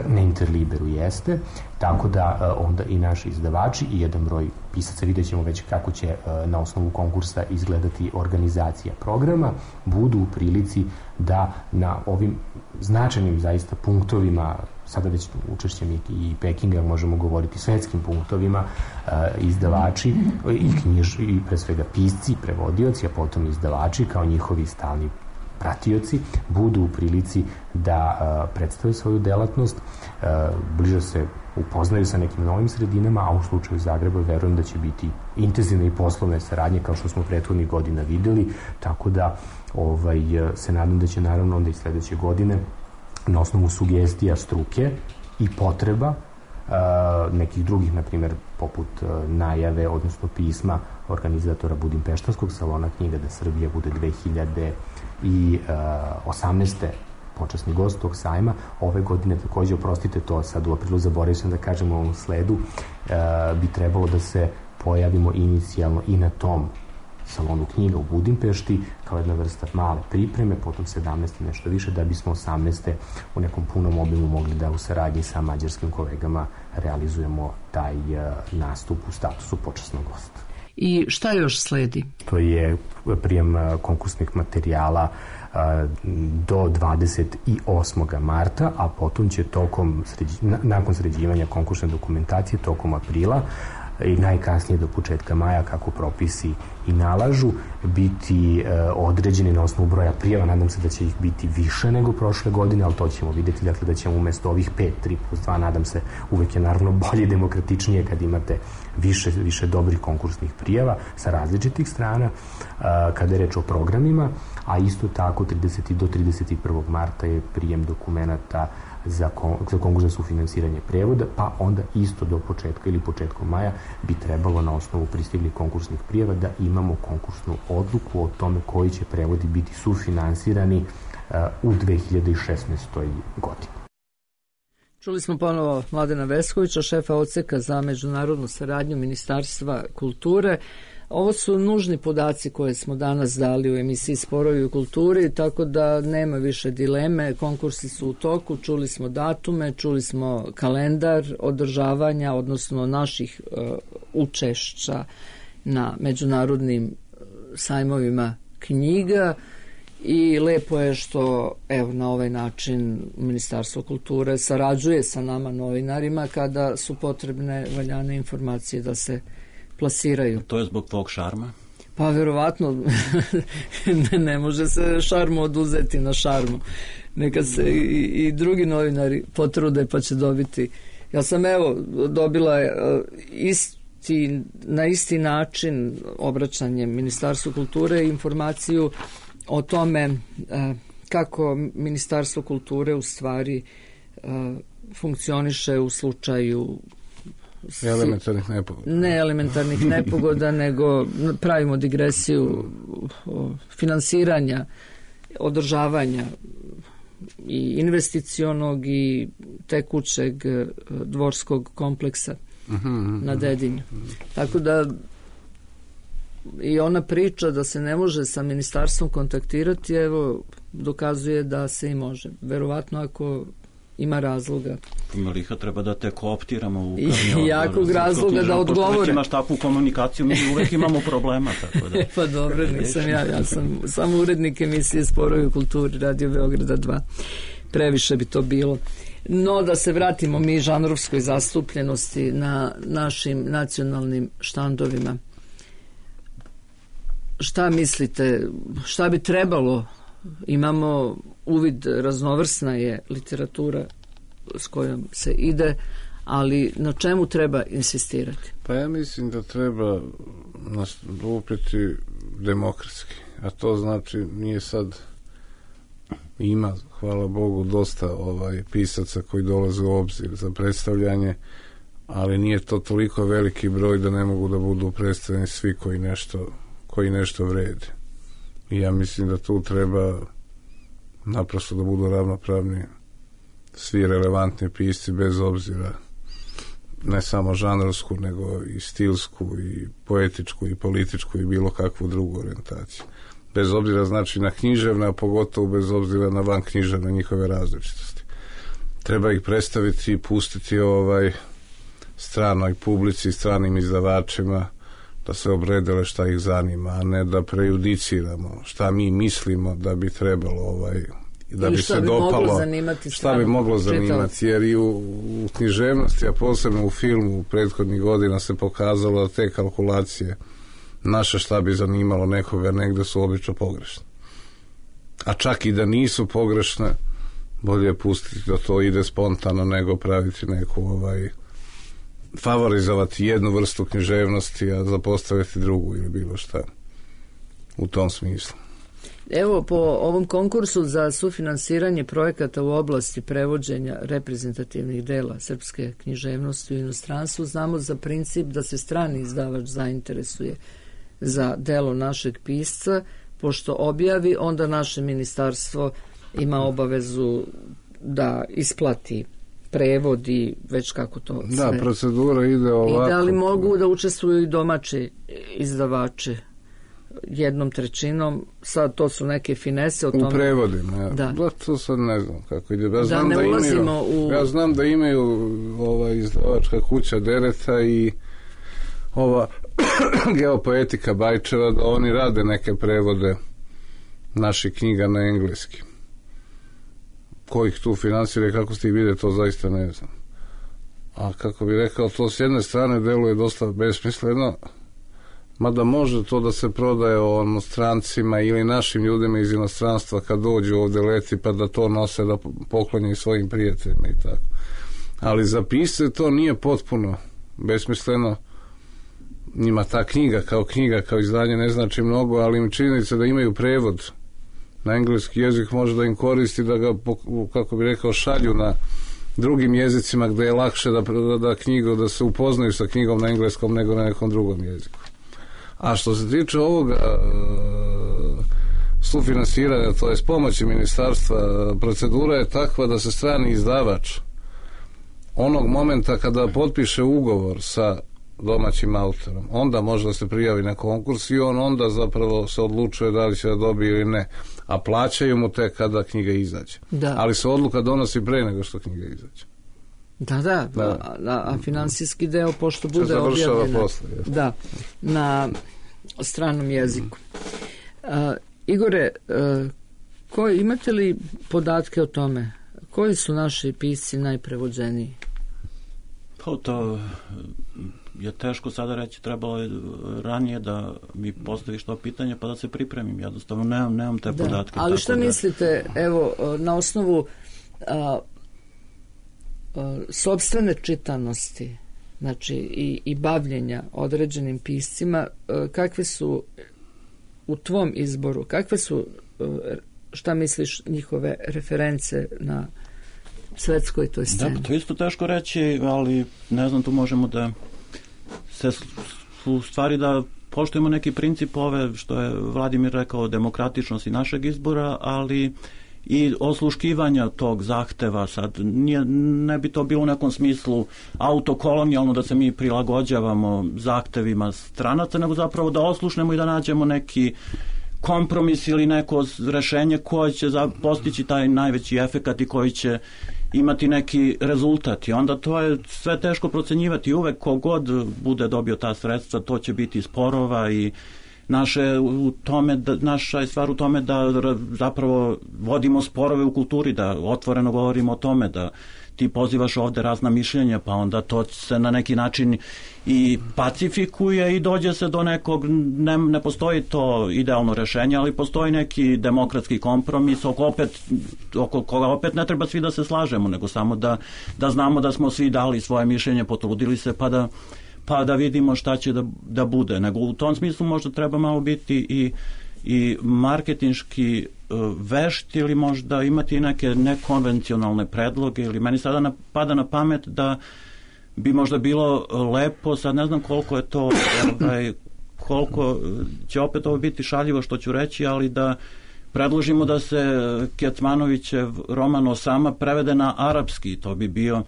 Na Interliberu jeste, tako da onda i naši izdavači i jedan broj pisaca, vidjet ćemo već kako će na osnovu konkursa izgledati organizacija programa, budu u prilici da na ovim značajnim zaista punktovima, sada već učešćem i Pekinga možemo govoriti svetskim punktovima, izdavači i pre svega pisci, prevodioci, a potom izdavači kao njihovi stalni pratioci budu u prilici da predstave svoju delatnost, bliže se upoznaju sa nekim novim sredinama, a u slučaju Zagreba verujem da će biti intenzivne i poslovne saradnje kao što smo prethodnih godina videli, tako da se nadam da će naravno onda i sledeće godine na osnovu sugestija struke i potreba nekih drugih, na primjer poput najave, odnosno pisma organizatora Budimpeštanskog salona knjiga da Srbija bude 2018. počasni gost tog sajma. Ove godine takođe, oprostite to sad u aprilu, zaboravio sam da kažem u ovom sledu, bi trebalo da se pojavimo inicijalno i na tom salonu knjiga u Budimpešti kao jedna vrsta male pripreme, potom 17. nešto više, da bismo 18. u nekom punom obimu mogli da u saradnji sa mađarskim kolegama realizujemo taj nastup u statusu počasnog gosta. I šta još sledi? To je prijem konkursnih materijala do 28. marta, a potom će nakon sređivanja konkursne dokumentacije tokom aprila i najkasnije do početka maja, kako propisi i nalažu, biti određeni na osnovu broja prijava. Nadam se da će ih biti više nego prošle godine, ali to ćemo vidjeti, dakle da ćemo umjesto ovih 5, 3+2, nadam se, uvek je naravno bolje i demokratičnije kad imate više dobrih konkursnih prijava sa različitih strana kada je reč o programima, a isto tako do 31. marta je prijem dokumenata za konkurs za sufinansiranje prevoda, pa onda isto do početka ili početkom maja bi trebalo na osnovu pristiglih konkursnih prijava da imamo konkursnu odluku o tome koji će prevodi biti sufinansirani u 2016. godini. Čuli smo ponovo Mladena Veskovića, šefa odseka za međunarodnu saradnju Ministarstva kulture. Ovo su nužni podaci koje smo danas dali u emisiji Sporovi u kulturi, tako da nema više dileme. Konkursi su u toku, čuli smo datume, čuli smo kalendar održavanja, odnosno naših učešća na međunarodnim sajmovima knjiga. I lepo je što na ovaj način Ministarstvo kulture sarađuje sa nama novinarima kada su potrebne valjane informacije da se plasiraju. To je zbog tvog šarma? Pa verovatno ne može se šarmu oduzeti na šarmu. Neka se i drugi novinari potrude pa će dobiti. Ja sam dobila na isti način obraćanjem Ministarstvu kulture informaciju o tome kako Ministarstvo kulture u stvari funkcioniše u slučaju elementarnih nepogoda. Ne elementarnih nepogoda, nego pravimo digresiju finansiranja, održavanja i investicionog i tekućeg dvorskog kompleksa na Dedinju. Tako da i ona priča da se ne može sa ministarstvom kontaktirati, dokazuje da se i može. Verovatno ako ima razloga. Liha, treba da te kooptiramo u i jakog razloga da odgovore. Pošto imaš takvu komunikaciju, mi uvek imamo problema. Tako da. Pa dobro, nisam ja sam samo urednik emisije Sporovi u kulturi Radio Beograda 2. Previše bi to bilo. No, da se vratimo mi žanrovskoj zastupljenosti na našim nacionalnim štandovima. Šta mislite, šta bi trebalo? Imamo uvid, raznovrsna je literatura s kojom se ide, ali na čemu treba insistirati? Pa ja mislim da treba nastupiti demokratski, a to znači nije sad, ima, hvala Bogu, dosta pisaca koji dolaze u obzir za predstavljanje, ali nije to toliko veliki broj da ne mogu da budu predstavljeni svi koji nešto vrede. I ja mislim da tu treba naprosto da budu ravnopravni svi relevantni pisci, bez obzira ne samo žanrovsku, nego i stilsku i poetičku i političku i bilo kakvu drugu orijentaciju. Bez obzira znači na književne, a pogotovo bez obzira na van književne njihove različitosti. Treba ih predstaviti i pustiti stranoj publici, stranim izdavačima da se obredele šta ih zanima, a ne da prejudiciramo šta mi mislimo da bi trebalo da bi se dopalo, šta bi moglo zanimati, jer i u književnosti, a posebno u filmu u prethodnih godina se pokazalo da te kalkulacije naše šta bi zanimalo nekoga negde su obično pogrešne. A čak i da nisu pogrešne, bolje je pustiti da to ide spontano nego praviti neku favorizovati jednu vrstu književnosti, a zapostaviti drugu ili bilo šta u tom smislu. Evo, po ovom konkursu za sufinansiranje projekata u oblasti prevođenja reprezentativnih dela srpske književnosti u inostranstvu, znamo za princip da se strani izdavač zainteresuje za delo našeg pisca, pošto objavi, onda naše ministarstvo ima obavezu da isplati prevodi, već kako to sve. Da, procedura ide ovako. I da li mogu da učestvuju i domaći izdavači 1/3, sad to su neke finese o tome. U prevodima, ja. Da, to sad ne znam kako ide. Ja znam da imaju izdavačka kuća Dereta i ova Geopoetika Bajčeva, da oni rade neke prevode naših knjiga na engleski. Ko ih tu finansira i kako ste ih vide, to zaista ne znam. A kako bi rekao, to s jedne strane deluje dosta besmisleno, mada može to da se prodaje strancima ili našim ljudima iz inostranstva kad dođu ovde leti pa da to nose, da poklonjaju svojim prijateljima i tako. Ali za pisce to nije potpuno besmisleno. Njima ta knjiga, kao izdanje ne znači mnogo, ali im činjenica da imaju prevod na engleski jezik može da im koristi, da ga, kako bi rekao, šalju na drugim jezicima gde je lakše da se upoznaju sa knjigom na engleskom nego na nekom drugom jeziku. A što se tiče ovoga sufinansiranja, to je s pomoći ministarstva, procedura je takva da se strani izdavač onog momenta kada potpiše ugovor sa domaćim autorom, onda može da se prijavi na konkurs i on onda zapravo se odlučuje da li će da dobije ili ne, a plaćaju mu tek kada knjiga izađe. Da. Ali se odluka donosi pre nego što knjiga izađe. A finansijski deo, pošto bude objavljena na stranom jeziku. Igore, imate li podatke o tome? Koji su naši pisci najprevođeniji? Pa to je teško sada reći, trebalo je ranije da mi postaviš to pitanje pa da se pripremim. Jednostavno nemam te podatke. Ali šta mislite, evo, na osnovu sopstvene čitanosti, znači i bavljenja određenim piscima, kakve su u tvom izboru, kakve su, šta misliš, njihove reference na svetskoj toj sceni? Da, to isto teško reći, ali ne znam, tu možemo da se u stvari da poštujemo neki princip ove, što je Vladimir rekao, demokratičnosti našeg izbora, ali i osluškivanja tog zahteva. Sad ne bi to bilo u nekom smislu autokolonijalno da se mi prilagođavamo zahtevima stranaca, nego zapravo da oslušnemo i da nađemo neki kompromis ili neko rešenje koje će postići taj najveći efekat i koji će imati neki rezultat. I onda to je sve teško procenjivati. Uvek kogod bude dobio ta sredstva, to će biti sporova i naša je stvar u tome da zapravo vodimo sporove u kulturi, da otvoreno govorimo o tome, da ti pozivaš ovde razna mišljenja, pa onda to se na neki način i pacifikuje i dođe se do nekog, ne postoji to idealno rešenje, ali postoji neki demokratski kompromis oko koga opet ne treba svi da se slažemo, nego samo da znamo da smo svi dali svoje mišljenje, potrudili se pa da vidimo šta će da bude. Nego u tom smislu možda treba malo biti i marketinški vešt ili možda imati neke nekonvencionalne predloge, ili meni sada pada na pamet da bi možda bilo lepo, sad ne znam koliko je to, koliko će opet ovo biti šaljivo što ću reći, ali da predložimo da se Kecmanovićev roman Osama prevede na arapski. To bi bio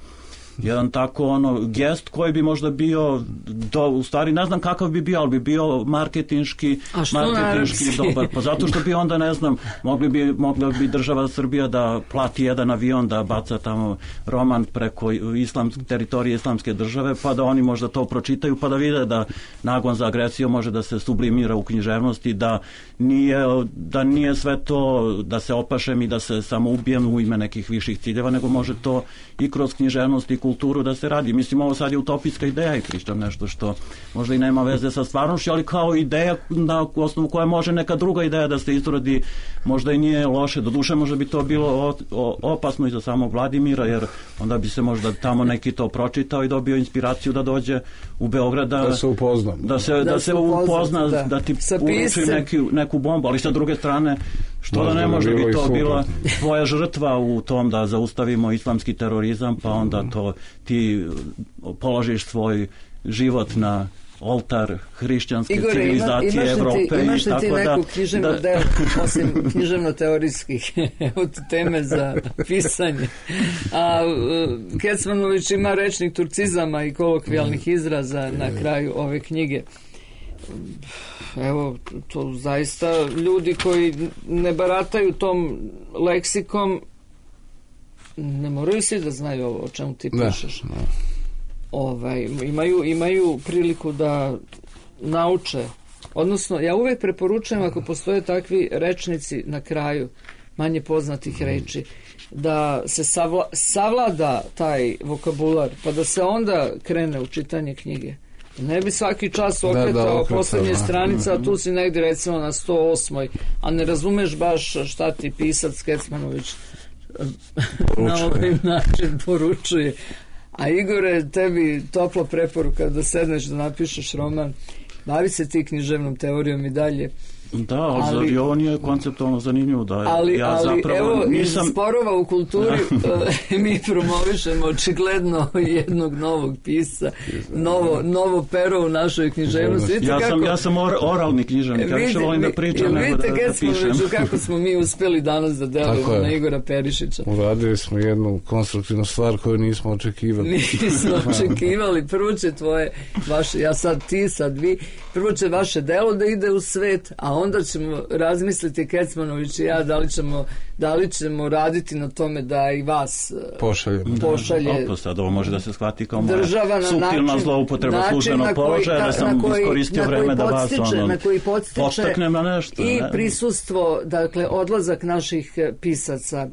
jedan tako gest koji bi možda bio u stvari ne znam kakav bi bio, ali bi bio marketinški dobar. Pa zato što bi onda, ne znam, mogla bi država Srbija da plati jedan avion da baca tamo roman preko teritorije islamske države, pa da oni možda to pročitaju, pa da vide da nagon za agresiju može da se sublimira u književnosti, da nije sve to da se opašem i da se samo ubijem u ime nekih viših ciljeva, nego može to i kroz književnost i kulturu da se radi. Mislim, ovo sad je utopijska ideja i pričam nešto što možda i nema veze sa stvarnošću, ali kao ideja na osnovu koja može neka druga ideja da se izrodi, možda i nije loše. Doduše, možda bi to bilo opasno i za samog Vladimira, jer onda bi se možda tamo neki to pročitao i dobio inspiraciju da dođe u Beograd da se upozna. Da se upozna, da ti uruči neku bombu, ali sa druge strane, što da ne može bi to bila tvoja žrtva u tom da zaustavimo islamski terorizam, pa onda to ti položiš svoj život na oltar hrišćanske civilizacije Evrope. Imaš li ti neku književnu delu, osim književno-teorijskih od teme za pisanje? A Kecmanović ima rečnik turcizama i kolokvijalnih izraza na kraju ove knjige. Evo, to zaista ljudi koji ne barataju tom leksikom ne moraju svi da znaju ovo o čemu ti pišeš. Imaju priliku da nauče, odnosno ja uvek preporučujem ako postoje takvi rečnici na kraju manje poznatih reči, da se savlada taj vokabular, pa da se onda krene u čitanje knjige. Ne bi svaki čas okretao poslednje stranica, a tu si negdje recimo na 108. a ne razumeš baš šta ti pisac Kecmanović na ovaj način poručuje. A Igore, tebi topla preporuka da sedneš da napišeš roman, bavi se ti književnom teorijom i dalje. Da, ali ovo nije konceptualno zanimljivo. Ali evo, iz sporova u kulturi mi promovišemo očigledno jednog novog pisca, novo pero u našoj književnosti. Ja sam oralni književnik, ja više volim da pričam nego da pišem. Kako smo mi uspeli danas da delujemo na Igora Perišića. Uradili smo jednu konstruktivnu stvar koju nismo očekivali. Nismo očekivali. Prvo će ja sad ti, sad vi, prvo će vaše delo da ide u svet, a onda ćemo razmisliti Kecmanović i ja da li ćemo raditi na tome da i vas pošalje. Sad ovo može da se shvati kao suptilna zloupotreba službenog položaja, da sam iskoristio vreme da vas podstaknem na nešto. I prisustvo, dakle, odlazak naših pisaca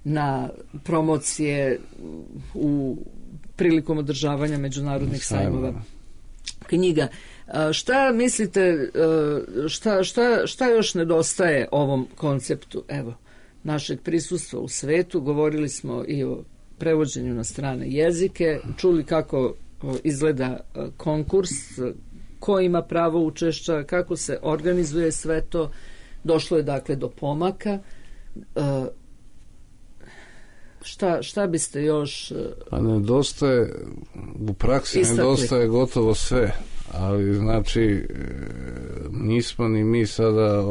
na promocije prilikom održavanja međunarodnih sajmova knjiga. Šta mislite, šta još nedostaje ovom konceptu, evo, našeg prisustva u svetu? Govorili smo i o prevođenju na strane jezike, čuli kako izgleda konkurs, ko ima pravo učešća, kako se organizuje sve to, došlo je dakle do pomaka. Šta biste još pa nedostaje, u praksi nedostaje gotovo sve. Ali znači nismo ni mi sada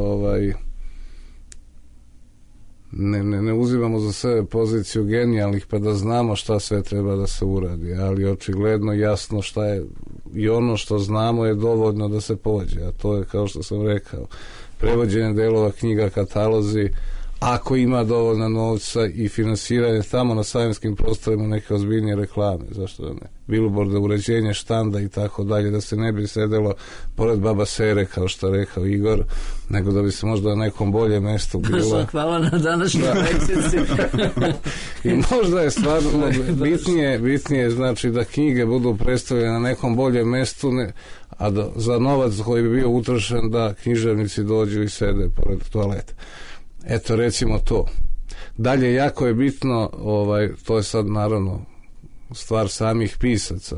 ne uzimamo za sebe poziciju genijalnih pa da znamo šta sve treba da se uradi, ali očigledno jasno šta je i ono što znamo je dovoljno da se pođe, a to je kao što sam rekao, prevođenje delova knjiga, katalozi, ako ima dovoljno novca i finansiranje tamo na sajmskim prostorima neke ozbiljnije reklame, zašto da ne, bilborda, uređenje štanda i tako dalje, da se ne bi sedelo pored baba Sere, kao što rekao Igor, nego da bi se možda na nekom boljem mestu bilo. Hvala na današnjoj lekciji. I možda je stvarno bitnije znači da knjige budu predstavljene na nekom boljem mestu, a za novac koji bi bio utrošen da književnici dođu i sede pored toaleta. Eto, recimo to. Dalje, jako je bitno, to je sad naravno stvar samih pisaca,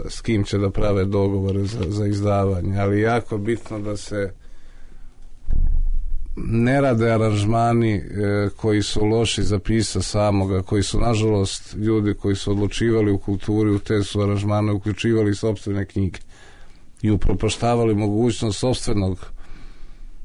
s kim će da prave dogovore za izdavanje, ali jako je bitno da se ne rade aranžmani koji su loši za pisa samoga, koji su, nažalost, ljudi koji su odlučivali u kulturi, u te su aranžmane uključivali sopstvene knjige i upropaštavali mogućnost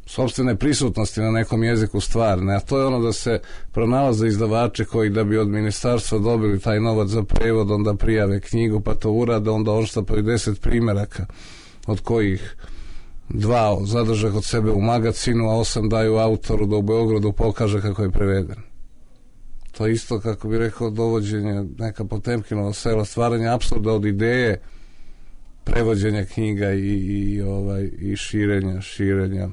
sopstvene prisutnosti na nekom jeziku stvarne, a to je ono da se pronalaze izdavači koji da bi od ministarstva dobili taj novac za prevod, onda prijave knjigu, pa to urade, onda odštampaju 10 primjeraka, od kojih 2 zadrže kod sebe u magazinu, a 8 daju autoru da u Beogradu pokaže kako je preveden. To je isto, kako bi rekao, dovođenje neka Potemkinova sela, stvaranje apsurda od ideje prevođenja knjiga i širenja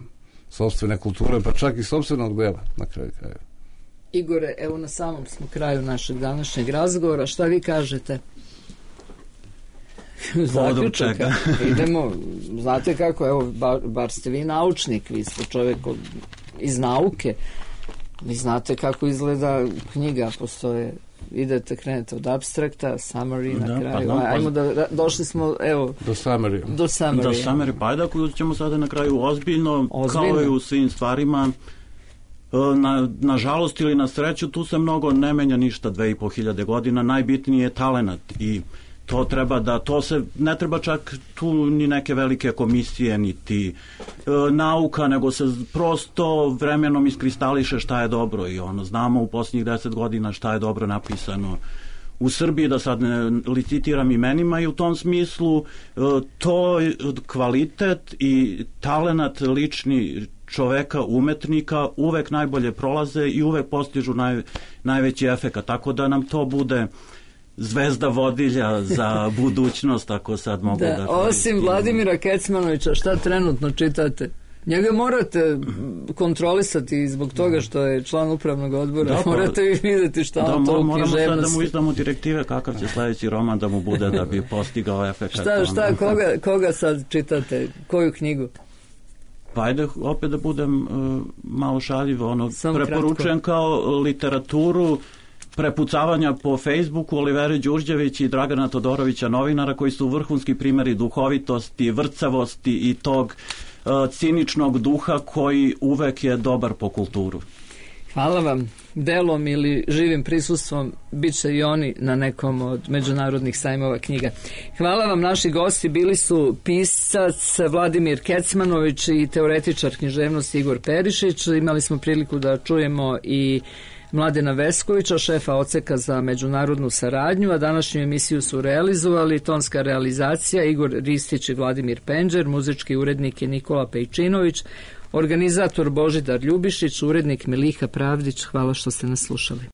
sopstvene kulture, pa čak i sopstvenog dela na kraju krajeva. Igore, evo na samom smo kraju našeg današnjeg razgovora. Šta vi kažete? Zaključak. Idemo, znate kako, evo, bar ste vi naučnik, vi ste čovjek iz nauke. Vi znate kako izgleda knjiga, postoje, idete, krenete od abstrakta, summary na kraju. Ajmo došli smo, evo, do summary. Do summary, pa ajde ako ćemo sada na kraju ozbiljno, kao i u svim stvarima, na žalost ili na sreću, tu se mnogo ne menja ništa 2500 godina, najbitniji je talenat i to se ne treba čak tu ni neke velike komisije niti nauka, nego se prosto vremenom iskristališe šta je dobro i znamo u posljednjih 10 godina šta je dobro napisano u Srbiji, da sad ne licitiram imenima, i u tom smislu to kvalitet i talenat lični čoveka, umetnika uvek najbolje prolaze i uvek postižu najveći efekat, tako da nam to bude zvezda vodilja za budućnost, ako sad mogu da osim Vladimira Kecmanovića, šta trenutno čitate? Njega morate kontrolisati zbog toga što je član upravnog odbora. Morate vi vidjeti šta on to moramo sad da mu izdamo direktive kakav će sledeći roman da mu bude da bi postigao efekt. Šta, koga sad čitate? Koju knjigu? Pa ajde opet da budem malo šaljiv, preporučujem kao literaturu prepucavanja po Facebooku Olivere Đurđević i Dragana Todorovića, novinara, koji su vrhunski primjeri duhovitosti, vrcavosti i tog ciničnog duha koji uvek je dobar po kulturu. Hvala vam. Delom ili živim prisustvom bit će i oni na nekom od međunarodnih sajmova knjiga. Hvala vam, naši gosti bili su pisac Vladimir Kecmanović i teoretičar književnosti Igor Perišić. Imali smo priliku da čujemo i Mladena Veskovića, šefa odseka za međunarodnu saradnju, a današnju emisiju su realizovali tonska realizacija Igor Ristić i Vladimir Penđer, muzički urednik je Nikola Pejčinović, organizator Božidar Ljubišić, urednik Miliha Pravdić. Hvala što ste nas slušali.